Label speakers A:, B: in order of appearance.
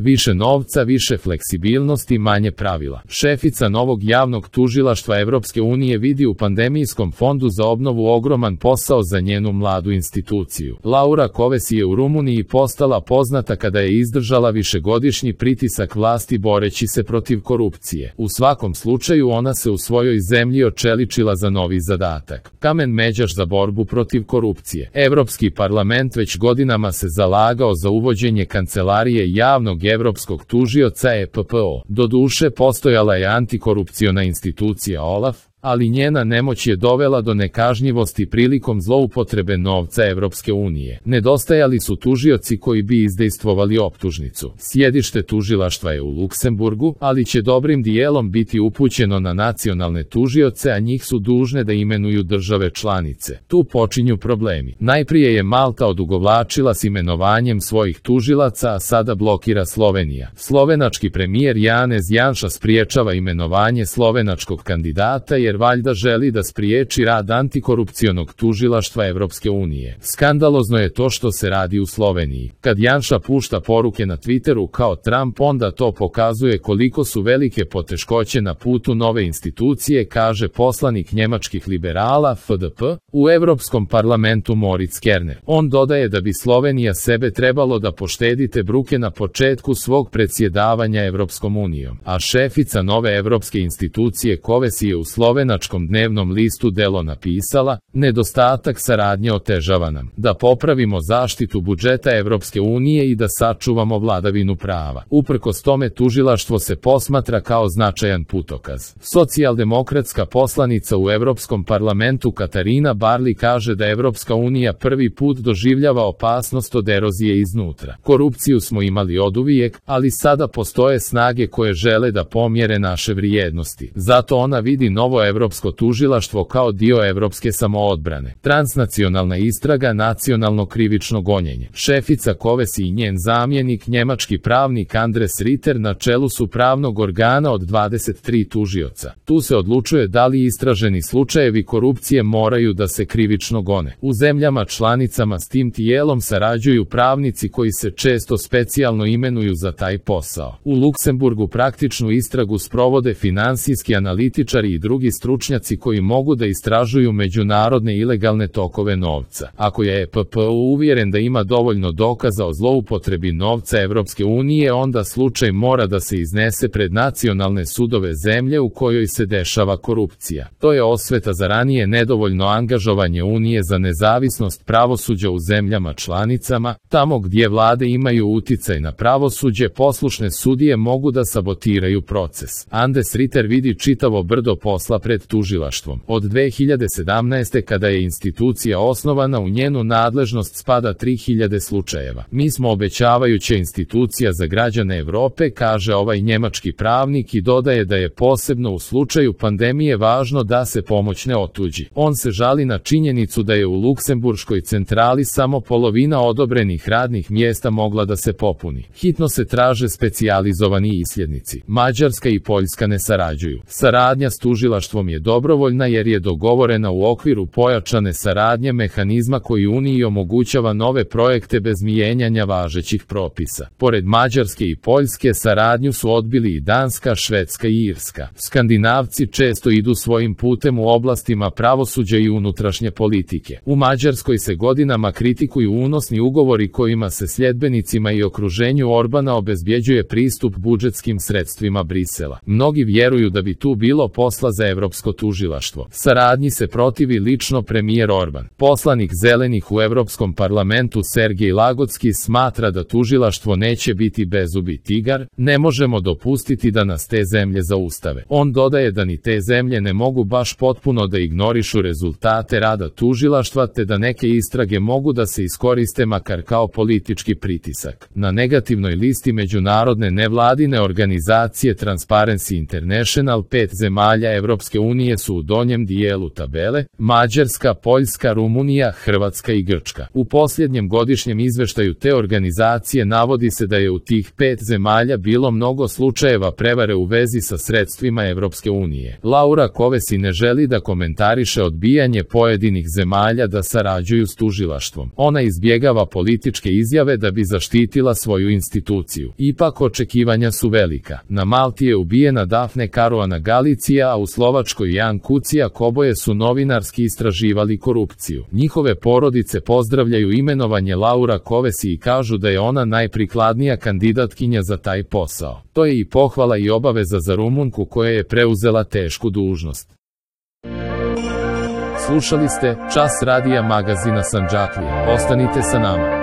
A: Više novca, više fleksibilnosti, manje pravila. Šefica novog javnog tužilaštva Evropske unije vidi u pandemijskom fondu za obnovu ogroman posao za njenu mladu instituciju. Laura Kovesi je u Rumuniji postala poznata kada je izdržala višegodišnji pritisak vlasti boreći se protiv korupcije. U svakom slučaju ona se u svojoj zemlji očeličila za novi zadatak. Kamen međaš za borbu protiv korupcije. Evropski parlament već godinama se zalagao za uvođenje kancelarije javnog evropskog tužioca EPPO. Doduše postojala je antikorupciona institucija OLAF, ali njena nemoć je dovela do nekažnjivosti prilikom zloupotrebe novca Evropske unije. Nedostajali su tužioci koji bi izdejstvovali optužnicu. Sjedište tužilaštva je u Luksemburgu, ali će dobrim dijelom biti upućeno na nacionalne tužioce, a njih su dužne da imenuju države članice. Tu počinju problemi. Najprije je Malta odugovlačila s imenovanjem svojih tužilaca, a sada blokira Slovenija. Slovenački premijer Janez Janša spriječava imenovanje slovenačkog kandidata jer valjda želi da spriječi rad antikorupcionog tužilaštva Evropske unije. Skandalozno je to što se radi u Sloveniji. Kad Janša pušta poruke na Twitteru kao Trump, onda to pokazuje koliko su velike poteškoće na putu nove institucije, kaže poslanik njemačkih liberala FDP u Evropskom parlamentu Moritz Kerner. On dodaje da bi Slovenija sebe trebalo da poštedite bruke na početku svog predsjedavanja Evropskom unijom. A šefica nove evropske institucije Kovesi je u slovenačkom dnevnom listu Delo napisala: nedostatak saradnje otežava nam da popravimo zaštitu budžeta Evropske unije i da sačuvamo vladavinu prava. Uprkos tome tužilaštvo se posmatra kao značajan putokaz. Socijaldemokratska poslanica u Evropskom parlamentu Katarina Barli kaže da Evropska unija prvi put doživljava opasnost od erozije iznutra. Korupciju smo imali oduvijek, ali sada postoje snage koje žele da pomjere naše vrijednosti. Zato ona vidi novo evropsko tužilaštvo kao dio evropske samoodbrane. Transnacionalna istraga, nacionalno krivično gonjenje. Šefica Kovesi i njen zamjenik, njemački pravnik Andres Ritter, na čelu su pravnog organa od 23 tužioca. Tu se odlučuje da li istraženi slučajevi korupcije moraju da se krivično gone. U zemljama članicama s tim tijelom sarađuju pravnici koji se često specijalno imenuju za taj posao. U Luksemburgu praktičnu istragu sprovode finansijski analitičari i drugi stručnjaci koji mogu da istražuju međunarodne ilegalne tokove novca. Ako je EPPO uvjeren da ima dovoljno dokaza o zloupotrebi novca Evropske unije, onda slučaj mora da se iznese pred nacionalne sudove zemlje u kojoj se dešava korupcija. To je osveta za ranije nedovoljno angažovanje Unije za nezavisnost pravosuđa u zemljama članicama. Tamo gdje vlade imaju uticaj na pravosuđe, poslušne sudije mogu da sabotiraju proces. Andres Ritter vidi čitavo brdo posla pred tužilaštvom. Od 2017. kada je institucija osnovana, u njenu nadležnost spada 3000 slučajeva. Mi smo obećavajuća institucija za građane Evrope, kaže ovaj njemački pravnik i dodaje da je posebno u slučaju pandemije važno da se pomoć ne otuđi. On se žali na činjenicu da je u luksemburškoj centrali samo polovina odobrenih radnih mjesta mogla da se popuni. Hitno se traže specijalizovani isljednici. Mađarska i Poljska ne sarađuju. Saradnja s tužilaštvom je dobrovoljna jer je dogovorena u okviru pojačane saradnje mehanizma koji Uniji omogućava nove projekte bez mijenjanja važećih propisa. Pored Mađarske i Poljske, saradnju su odbili i Danska, Švedska i Irska. Skandinavci često idu svojim putem u oblastima pravosuđa i unutrašnje politike. U Mađarskoj se godinama kritikuju unosni ugovori kojima se sljedbenicima i okruženju Orbana obezbjeđuje pristup budžetskim sredstvima Brisela. Mnogi vjeruju da bi tu bilo posla za Evropsko tužilaštvo. Saradnji se protivi lično premijer Orban. Poslanik Zelenih u Evropskom parlamentu Sergej Lagocki smatra da tužilaštvo neće biti bezubi tigar. Ne možemo dopustiti da nas te zemlje zaustave. On dodaje da ni te zemlje ne mogu baš potpuno da ignorišu rezultate rada tužilaštva, te da neke istrage mogu da se iskoriste makar kao politički pritisak. Na negativnoj listi međunarodne nevladine organizacije Transparency International 5 zemalja Evropske Evropske unije su u donjem dijelu tabele: Mađarska, Poljska, Rumunija, Hrvatska i Grčka. U posljednjem godišnjem izveštaju te organizacije navodi se da je u tih 5 zemalja bilo mnogo slučajeva prevare u vezi sa sredstvima Evropske unije. Laura Kövesi ne želi da komentariše odbijanje pojedinih zemalja da sarađuju s tužilaštvom. Ona izbjegava političke izjave da bi zaštitila svoju instituciju. Ipak očekivanja su velika. Na Malti je ubijena Dafne Caruana Galizia, a u Slovačkoj Jan Kuciak, oboje su novinarski istraživali korupciju. Njihove porodice pozdravljaju imenovanje Laura Kövesi i kažu da je ona najprikladnija kandidatkinja za taj posao. To je i pohvala i obaveza za Rumunku koja je preuzela tešku dužnost. Slušali ste Čas radija magazina Sandžaklija. Ostanite sa nama.